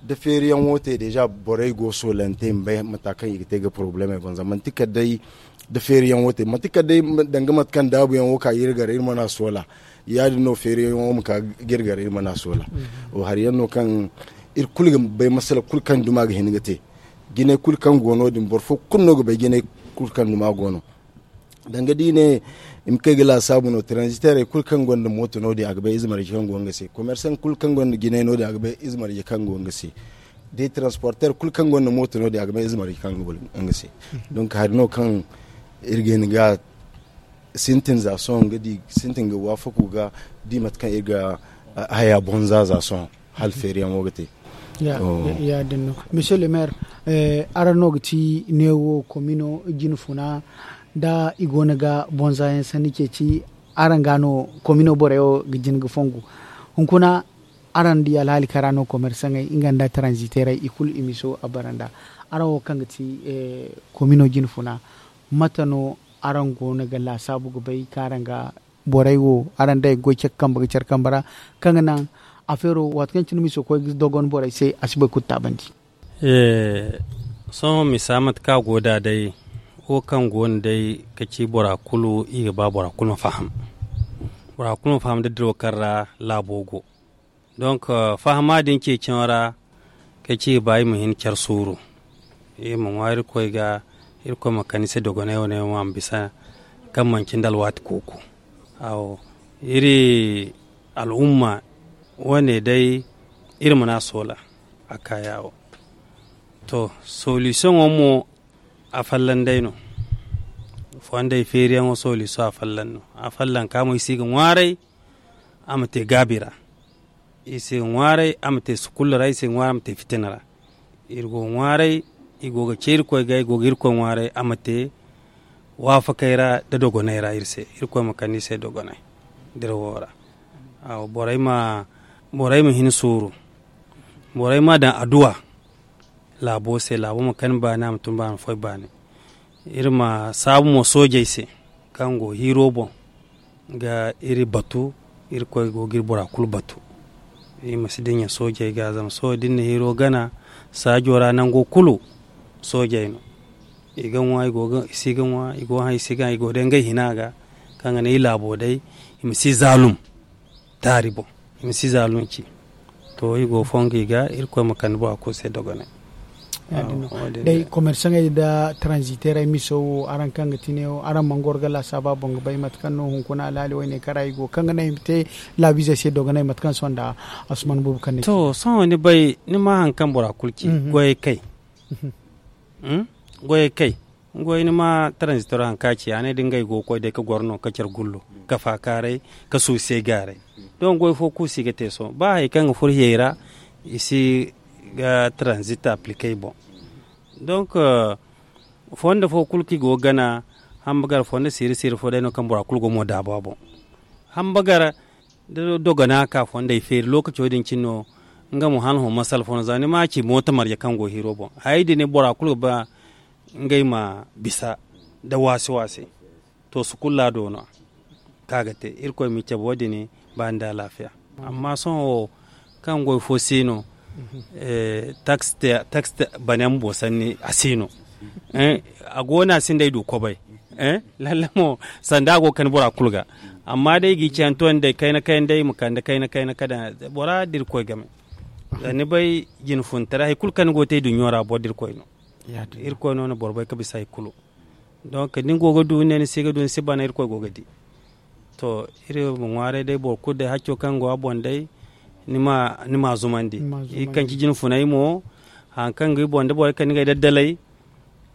da feeriyaŋo te deja borey go soolante i ma bay mata kaŋ i ga te ga porobulemey boŋ zama manti kala day da feeriyaŋo te manti kala day danga mate kaŋ daabuyaŋo ka ga iri gar iri mana soola. Ya- din no feeriyaŋo ma ka ga iri gar iri mana soola. Hari yaŋ no kaŋ iri kulu ga bay masala kulu kaŋ duma ga hin ga te. Jinay kulu kaŋ go no- din boro fo kulu no ga bay jinay kulu kaŋ duma go no. Danga da i ne i ma kay ga laasaabu no transiterey kulu kaŋ gonda mooto no- din a ga bay ize marje kaŋ go nga se, komersaŋ kulu kaŋ gonda jinay no- din a ga bay ize marje kaŋ go nga se. Day transporter kulu kaŋ gonda mooto no- din a ga bay ize marje kaŋ go nga se. Donk hari no kaŋ iri ga hin ga sintin za sohõ ga di sintin ga waafaku ga di mate kaŋ iri ga haya bonza za sohõ hala feeriyaŋo ga te. Ya- din no, monsieur le maire. Araŋ no ga ti neewo komino jine funa, da i go no ga bonza yaŋ sanni ceeci, araŋ ga no komino borey wo ga jin ga fongu. Hunkuna araŋ di alhaali kaŋ ra no komersaŋey nga nda taranziteerey i kulu i miso a bara nda araŋ wo kaŋ ga ti komino jine funa, mate no araŋ go no ga laasaabu ga bay kaŋ araŋ ga borey wo araŋ day ga goy care kambe ga care kambe ra, kaŋ ga naŋ afeero waati kaŋ cine miso koy ga dogon borey se a si boro kulu taabandi? Sohõ misa mate kaŋ a go nd'a day, wo kaŋ go no day ka ci bora kulu i ga ba bora kulu ma faham. Bora kulu ma faham da diraw kaŋ ra laabo go. Donk fahama din ceeciyaŋo ra, kay ci i ga ba i ma hin care suuru, i ma ŋwa irkoy ga, irkoy ma kande i se dogonay wane yaŋ a ma bisa, kaŋ manci nda alwaati kooku. Iri al'umma wane day, iri mana soola a kaayawo. To, solisiyoŋo mo, a fallan day no. Fondey feeriyaŋo solisiyoŋ a fallan no. A fallan ka mo i si ga ŋwaaray, a ma te gaabi ra. I si ga ŋwaaray a ma te sukulla ra, i si ga ŋwaaray a ma te fitina ra. Iri go ga ŋwaaray, i go ga ce irkoy ga i go ga irkoy ŋwaaray a ma te waafakey ra nda dogonay ra iri se. Irkoy ma kande i se dogonay dirawo ra. Borey ma hin suuru, borey ma daŋ adduwa laabo se, laabo ma kani baani a ma tun baani foy baani. Iri ma saabu mo soojey se, kaŋ go hiiro boŋ ga iri batu. Irkoy go ga iri bora kulu batu. I ma si dinya soojey ga zama soojey da iri na hiiro gana saajo ra nango kulu, soojey no. I ga ŋwa i si ga ŋwa, i go haŋ i si ga haŋ i go day ngey hina ga, kaŋ ga ne i laabo day i ma si zaalum taari boŋ, i ma si zaalum ci. To i go fongu i ga irkoy ma kande bora kulu se dogonay. Day komersaŋey nda taranziteerey miso wo araŋ kaŋ ga ti ne wo araŋ mana goro ga laasaaba boŋ ga bay mate kaŋ no hunkuna alhaali wayne kara i go kaŋ ga naŋ i ma te laabiizey se dogonay mate kaŋ sohõ nda asuman boobo kaŋ ne. To sohõ ni bay ni ma hari kaŋ bora kulu ci goyey kay. Goyey kay. Nga way ni ma taranzitoro hari kaŋ a ci a ne da ngey go ga koy day ga goro no ga care gullo, ga faakaaray, ga suusay gaaray. Donk goy fo kulu si ga te sohõ ba hari kaŋ ga furo hiyey ra, i si ga taranzit aplikey boŋ. Donk fondo fo kulu kaŋ i go ga gana, hambagar fondo siiri siiri fo day no kaŋ bora kulu go mo daaba boŋ. Hambagar da dogona ka fondey feeri lookaco din cine no. Nga mo hala hõ masala fo no za ni ma ci mooto marje kaŋ go hiiro boŋ hayey din bora kulu ga ba ngey ma bisa nda waasi waasi. To sukulla do no a kaŋ a ga te irkoy ma i cabe wo- din ba nda alaafiya. Amma sohõ wo kaŋ goy fo si no, taksi bane bumbo sanni a si no. A go no a sinda ay du kobay. Lalle mo sanda a go ga kande bora kulu ga. Amma day i ga i cayanto yaŋ day kayna kayna day i ma kande kayna kayna ka daŋ bora da irkoy game. Zama ni bay jine funtaray hari kulu kaŋ ni go ga te iduɲɲo ra boro da irkoy no. Irkoy no na boro bay ga bisa hari kulu. Donk da ni go ga du ni ne ni si ga du ni si bana irkoy go ga di. To iri ma ŋwaaray day boro kulu day hacco kaŋ go a boŋ day ni ma a zumandi. Iri kaŋ ci jine funay mo hari kaŋ ga i boŋ da borey kaŋ ni ga ay daddalay.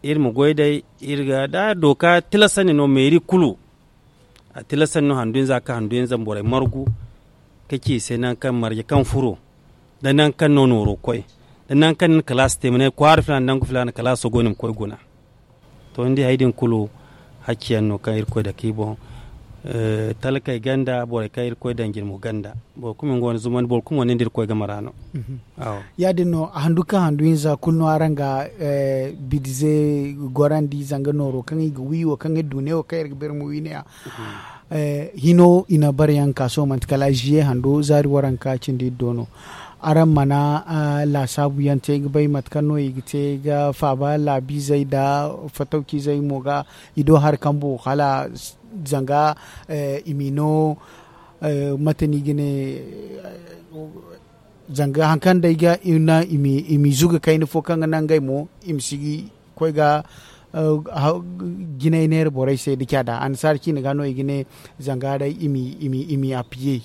Iri ma goy day iri ga da dooka tilasandi no meeri kulu. A tilasandi no handu hinza ga ka handu hinza ma borey margu ka ci i se nangu kaŋ marje kaŋ furo, nda nangu kaŋ no nooro koy, nda nangu kaŋ ni na kalaasi te ma ne kwaara filaana nangu filaana kalaaso go no i ma koy guna. To ni di hari din kulu hacci yaŋ no kaŋ irkoy dake i boŋ. Talkey ganda borey kaŋ irkoy daŋ jirmo ganda. Boro kulu ma nga wane zumandi boro kulu mo nin da irkoy game ra no. Ya- din no handu kaŋ handu hinza kulu no araŋ ga bidize gorandi zanga nooro kaŋ i ga wi wo kaŋ iri du ne wo kaŋ iri ga bere ma wi ne ya. Hino i na bare yaŋ ka sohõ manti kala ziye hando zaari waranka cindi iri do no. Araŋ mana laasaabu yaŋ te ga bay mate kaŋ no i ga te ga faaba laabiizey nda fatawciizey mo ga i do hari kambo hala zanga i m'i no mate no i ga ne zanga hari kaŋ day ga i ma i zuga kayna fo kaŋ ga naŋ ngey mo i ma si koy ga jinay neera borey se da caada annasaara ciine ga no i ga ne zanga day i m'i appiye.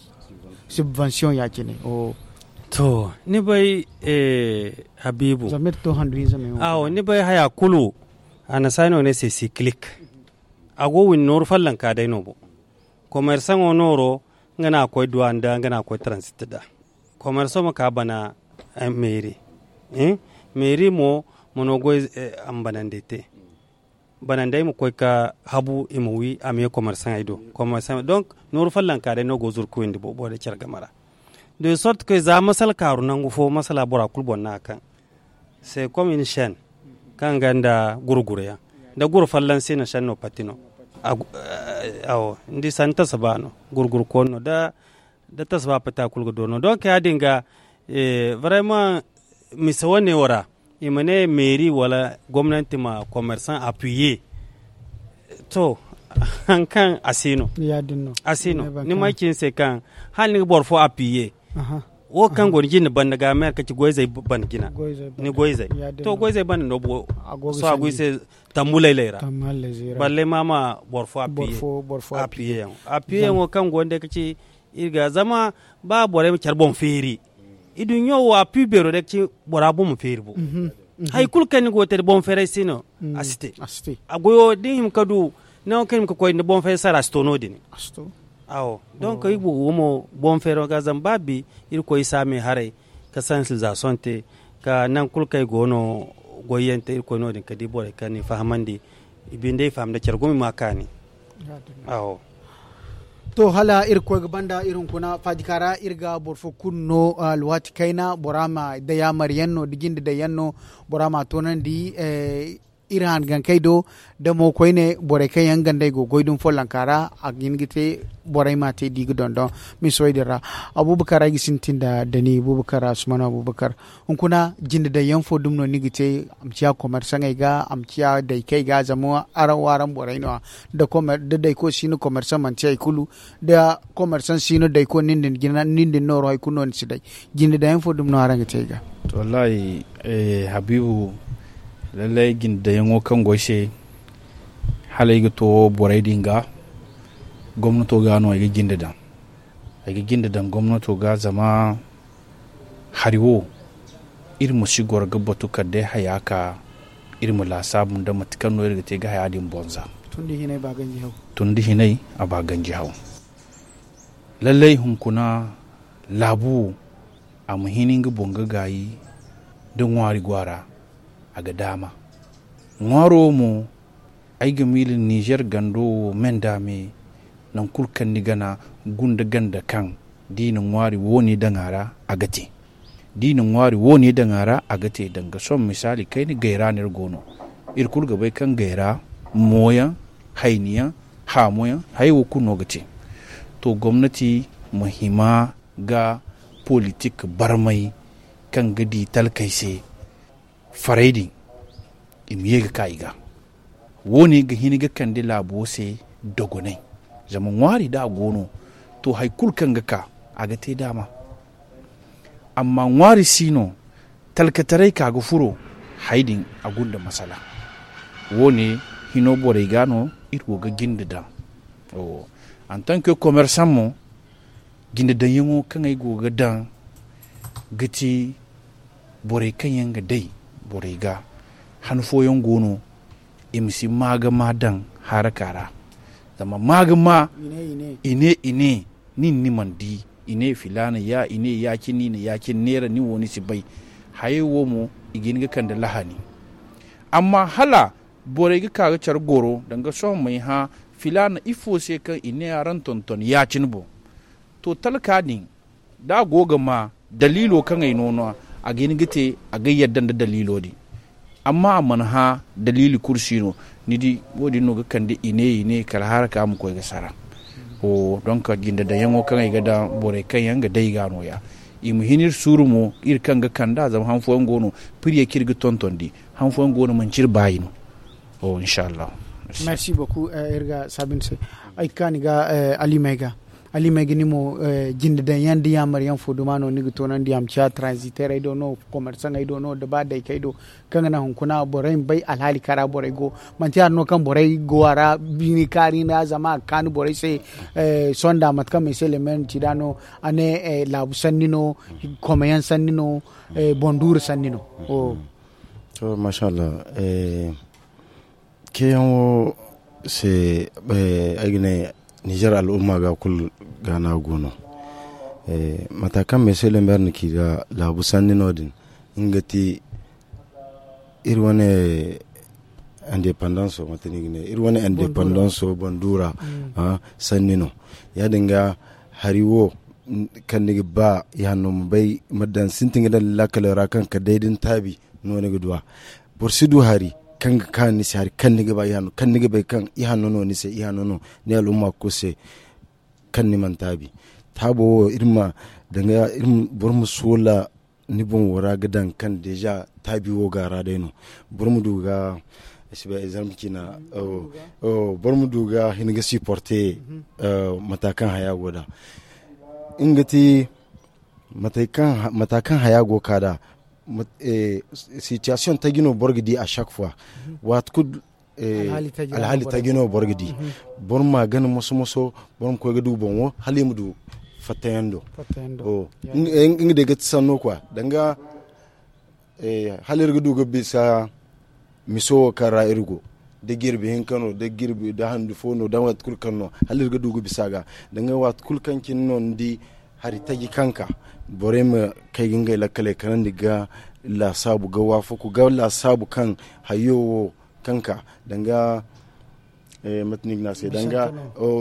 Subvention ya- cine. To ni bay habiibu. Zama iri to handu hinza me wo awo ni bay haya kulu. Annasaara no ga ne se sikilik. A go windi nooru follonka day no boŋ. Komersaŋo nooro nga no a koy duwa nda nga no a koy taransit nda komerso ma ka bana. Meeri meeri mo Ma no goy a ma banandey te. Banandey ma koy ga habu i ma wi a ma ye komersaŋey do. Komersaŋey donc nooru follonka day no go zuru kuyandi boobo day care game ra. De sorte que za masala kaaru nangu fo masala bora kulu boŋ no a kaŋ se comme une chaîne kaŋ ga nda gurguru yaŋ da guru folloŋ si no chaîne no pati no. Awo ni di sanni tasa ba no gurguru koonu no da tasa ba pati a kulu ga do no donc ya- din ga vraiment mise wane wo ra i ma ne meeri wala gomnanti ma commerçant appuyer. To, hari kaŋ a si no a si no ni ma ay ci ni se kaŋ hala ni ga boro fo appuyer wo kaŋ go ni jinde banda ga meeri ka ci goyzey banda jina ni goyzey to goyzey banda no bo sohõ a go i se tambu laylay ra balle ma ma boro fo appuyer yaŋo appuyer yaŋo kaŋ go ni day ka ci iri ga zama ba borey ma care boŋ feeri iduɲɲo wo a pi beero day ga ci bora boŋ ma feeri bo hari kulu kaŋ ni go ga te da boŋ feeray si no a si te a goyo da ni hima ka du nango kaŋ ni ma ka koy ni boŋ feeray sara a si to no- din awo donc iri boobo mo boŋ feero ga zama ba bi iri koy saame haray ka sensibilisation te ka nangu kulu kaŋ ay go no goyyaŋ te iri koy no- din ka di borey kaŋ ni fahamandi i binde i faham da care gumo i ma a kaani. To hala iri ga koy ga banda iri hunkuna faajika ra iri ga boro fo kulu no alwaati kayna bora ma day a maryaŋ no da jinde daŋ yaŋ no bora ma a toonandi iri hangankey do da mo koyne borey kaŋ yaŋ gandey go goy dumi follonka ra a ga hin ga te borey ma te da i ga dondon misoy din ra. Abubakar ay ga sintin da ni abubakar asumano abubakar hunkuna jinde daŋ yaŋ fo dumi no ni ga te a ma ciya komersaŋey ga a ma ciya daykey ga zama araŋ wo araŋ borey no- ya da dayko si no komersaŋ manti hari kulu da komersaŋ si no dayko nin din nooru hari kulu no ni si day jinde daŋ yaŋ fo dumi no araŋ ga te ay ga. To wallahi habiibu lallay jinde daŋ yaŋo kaŋ go ay se hala ay ga to borey din ga gomnato ga no ay ga jinde daŋ ay ga jinde daŋ gomnato ga zama hari wo iri ma si goro ga batu kala day haya ka iri ma laasaabu nda mate kaŋ no iri ga te ga haya din boŋ za. Tun da hinay a ba ganji haw lallay hunkuna laabu wo a ma hin nga boŋ ga gaayi da ŋwaari go a ra a ga daama ŋwaaro wo mo ay ga miila ninzeer gando wo me nda me nangu kulu kaŋ ni gana gunda ganda kaŋ da i na ŋwaari wo- ne daŋ a ra a ga te da i na ŋwaari wo- ne daŋ a ra a ga te danga sohõ misaali kayna gayra no iri go no iri kulu ga bay kaŋ gayra mooyaŋ hayniyaŋ haamoyaŋ hayey wo kulu no ga te to gomnati ma hima ga politik barmay kaŋ ga di talkey se farey din i ma ye ga ka i ga wo- ne ga hin ga kande laabo se dogonay zama ŋwaari da a go no to hari kulu kaŋ ga ka a ga te daama amma ŋwaari si no talkataray ka ga furo hari din a gunda masala wo- ne hino borey ga no iri go ga jinde daŋ en tant que commerçant mo jinde daŋ yaŋo kaŋ ay go ga daŋ ga ti borey kaŋ yaŋ ga day borey ga han fooyaŋ go no i ma si maa ga maa daŋ haraka ra zama maa ga maa i ne i ne nin ni mana di i ne filaana ya i ne ya- cine i na ya- cine neera nin wo ni si bay hayey wo mo i ga hin ga kande lahani amma hala borey ga ka ga care goro danga sohõ may hã filaana ifo se kaŋ i ne araŋ tonton ya- cine boŋ to talka din da a go ga ma daliilo kaŋ ay no no a ga hin ga te a ga yadda nda daliilo din amma a mana hã daliili kulu si no ni di wo- din no ga kande i ne i ne kala haraka ma koy ga sara donc jinde daŋ yaŋo kaŋ ay ga daŋ borey kaŋ yaŋ ga day ga no- ya i ma hin iri suuru mo iri kaŋ ga kand'a zama han fooyaŋ go no piriye kaŋ iri ga tontondi han fooyaŋ go no manci iri baayi no. Merci beaucoup iri ga saabu ni se ay ga kaani ga alimey ga alimey ga ni mo jinde daŋ yaŋ da yaamar yaŋ fo duma no ni ga toonandi a ma ciya transiterey do no komersaŋey do no da ba daykey do kaŋ ga naŋ hunkuna borey ma bay alhaali kaŋ ra borey go manti hari no kaŋ borey go a ra bini kaari nda zama a ga kaani borey se sonda mate kaŋ mese lemer na ci nd'a no a ne laabu sanni no kome yaŋ sanni no boŋ duuru sanni no. To mashallah ceeyaŋo se ay ga ne nizer al'umma ga kulu ga no a go no mata kaŋ mese lemer na ci ga laabu sanni no- din nga ti Iri wane indépendance o mate no i ga ne iri wane indépendance o bandura sanni no. Ya- din ga hari wo kaŋ ni ga ba i hanno ma bay ma daŋ sintin ga daŋ ni laakaley ra kaŋ ka day da ni taabi no ni ga du a. Boro si du hari kaŋ ga kaanu ni se hari kaŋ ni ga ba i hanno kaŋ ni ga bay kaŋ i hanno no ni se i hanno no ni al'umma kulu se. Kaŋ ni mana taabi taabo wo iri ma daŋ ga boro ma soola ni boŋo ra ga daŋ kaŋ deeza taabi wo ga a ra day no. Boro ma du ga ay si bay ay zarma ciina boro ma du ga hin ga siporte mata kaŋ haya go da nga ti mata kaŋ haya go ka da. Sitiyasiyoŋ taji no boro ga di a sak fuwa waati kulu alhaali taji no boro ga di. Boro ma gana moso moso boro ma koy ga du boŋo hala i ma du fattayaŋ do. Nga day ga ti sanno kwa danga hala iri ga du ga bisa miso wo kaŋ ra iri go da jirbi hinka no da jirbi da handu fo no da waati kulu kaŋ no hala iri ga du ga bisa ga danga waati kulu kaŋ cine no ni di hari taji kaŋ ka borey ma kay ga ngey lakkaley kanandi ga laasaabu ga waafaku ga laasaabu kaŋ hayo wo kaŋ ka danga mate no i ga ne a se danga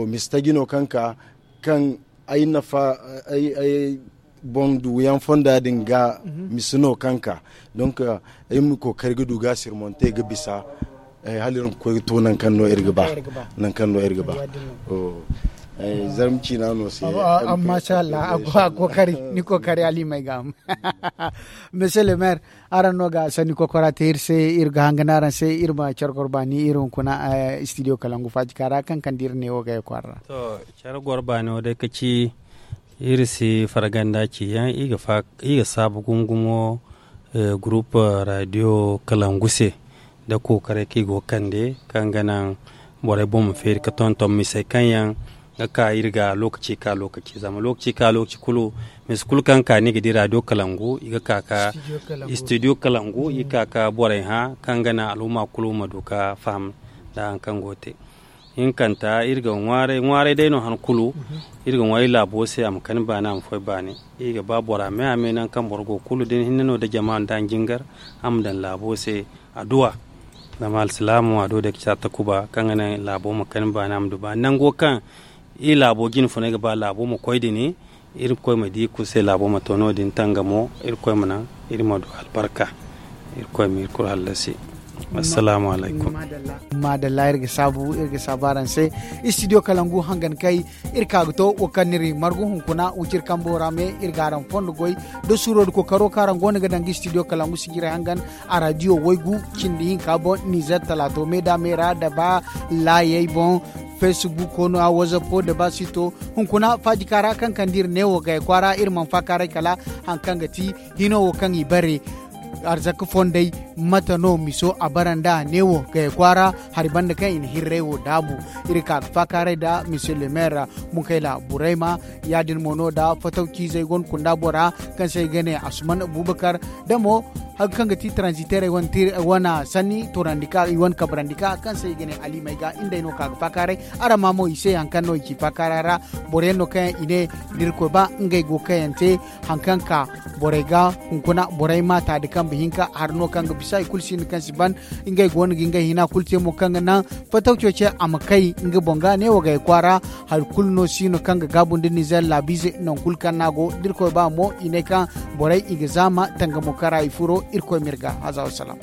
mista jino kaŋ ka kaŋ ay nafa ay boŋ duyaŋ fonda din ga misi no kaŋ ka donc ay ma kookari ga du ga sirmonte ga bisa hala iri ma koy ga to nankaŋ no iri ga ba nankaŋ no iri ga ba. Zarma ciina no se amma masha Allah a go kookari ni kookari alimay ga. Monsieur le maire, araŋ no ga sanni kokora te iri se iri ga hangan araŋ se iri ma care goro baani iri hunkuna studio kalangu faajika ra kaŋ kande iri neewo gay kwaara ra. To care goro baani wo day ka ci iri si farganda ci yaŋ iri ga saabu gumo gumo groupe radio kalangu se nda kookaray kaŋ i go ga kande kaŋ ga naŋ borey boŋ ma feeri ga tonton misey kaŋ yaŋ ga ka iri ga lookaci ka lookaci zama lookaci ka lookaci kulu misi kulu kaŋ ka ni ga di radio kalangu i ga ka ka studio kalangu i ga ka ka borey hã kaŋ ga naŋ alhuma kulu ma du ga faham nda hari kaŋ go ga te. Hinkanta iri ga ŋwaaray ŋwaaray day no han kulu iri ga ŋwaaray laabo se a ma kani baani a ma foy baani. Iri ga ba bora me a me nangu kaŋ boro go kulu da ni hinne no da jama nda ni jingar a ma daŋ laabo se adduwa. Zama alsilaamo adduwa day ga ci a takuba kaŋ ga naŋ laabo ma kani baani a ma du baani nango kaŋ iri laabo jine funay ga ba laabo ma koy din. Irkoy ma di kulu se laabo ma to no- din tangamo irkoy ma naŋ iri ma du albarka. Irkoy ma iri kulu hallasi. Assalaamu alaykum. Maadalla iri ga saabu iri ga saabu araŋ se. Studio kalangu hangan kay iri ka ga to wo kaŋ no iri margu hunkuna wiciri kambo ra me iri ga araŋ fondo goy da suuro da kookaro kaŋ araŋ go no ga daŋ ga studio kalangu sijirey hangan a radio waygu cindi hinka boŋ nizer talaato me da me ra da ba laayey boŋ. Facebooko no a wazappo da ba sito hunkuna faajika ra kaŋ kande iri neewo gay kwaara iri mana faakaaray kala hari kaŋ ga ti hino wo kaŋ i bare arzaka fondey mate no miso a bara nda neewo gay kwaara hari banda kaŋ i na hirray wo daabu. Iri ka ga faakaaray nda monsieur le maire munkayla burayma ya- din mo no nda fataw ciizey go no kunda bora kaŋ se i ga ne asuman abubakar da mo hari kaŋ ga ti transiterey wane sanni toorandi ka i wane kabrandi ka kaŋ se i ga ne alimey ga ngey no ka ga faakaaray. Araŋ ma mo i se hari kaŋ no i ci faakaara ra boro yaŋ no kaŋ yaŋ i ne da irkoy ba ngey go kaŋ yaŋ te hari kaŋ ka borey ga hunkuna borey ma taadi kambe hinka hari no kaŋ ga bisa i kulu sinda kaŋ si ban. Ngey go no ga ngey hina kulu te mo kaŋ ga naŋ fataw coce a ma kay nga boŋ ga neewo gay kwaara. Hari kulu no si no kaŋ ga gaabu nda nizer laabiize nangu kulu kaŋ no a go da irkoy ba mo i ne kaŋ borey i ga zaama tangamo kara i furo irkoy ma iri ga haza wasalaam.